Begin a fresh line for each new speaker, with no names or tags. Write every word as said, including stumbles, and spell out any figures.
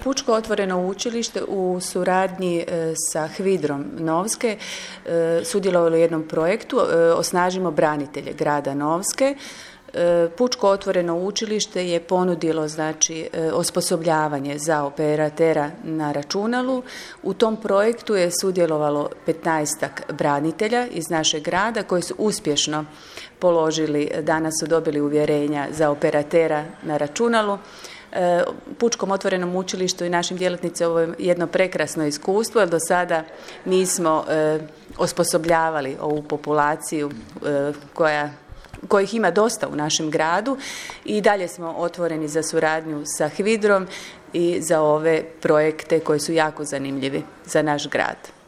Pučko otvoreno učilište u suradnji sa Hvidrom Novske sudjelovalo u jednom projektu Osnažimo branitelje grada Novske. Pučko otvoreno učilište je ponudilo znači osposobljavanje za operatera na računalu. U tom projektu je sudjelovalo petnaestak branitelja iz našeg grada koji su uspješno položili, danas su dobili uvjerenja za operatera na računalu. Pučkom otvorenom učilištu i našim djelatnicima ovo je jedno prekrasno iskustvo, jer do sada nismo osposobljavali ovu populaciju koja kojih ima dosta u našem gradu i dalje smo otvoreni za suradnju sa Hvidrom i za ove projekte koji su jako zanimljivi za naš grad.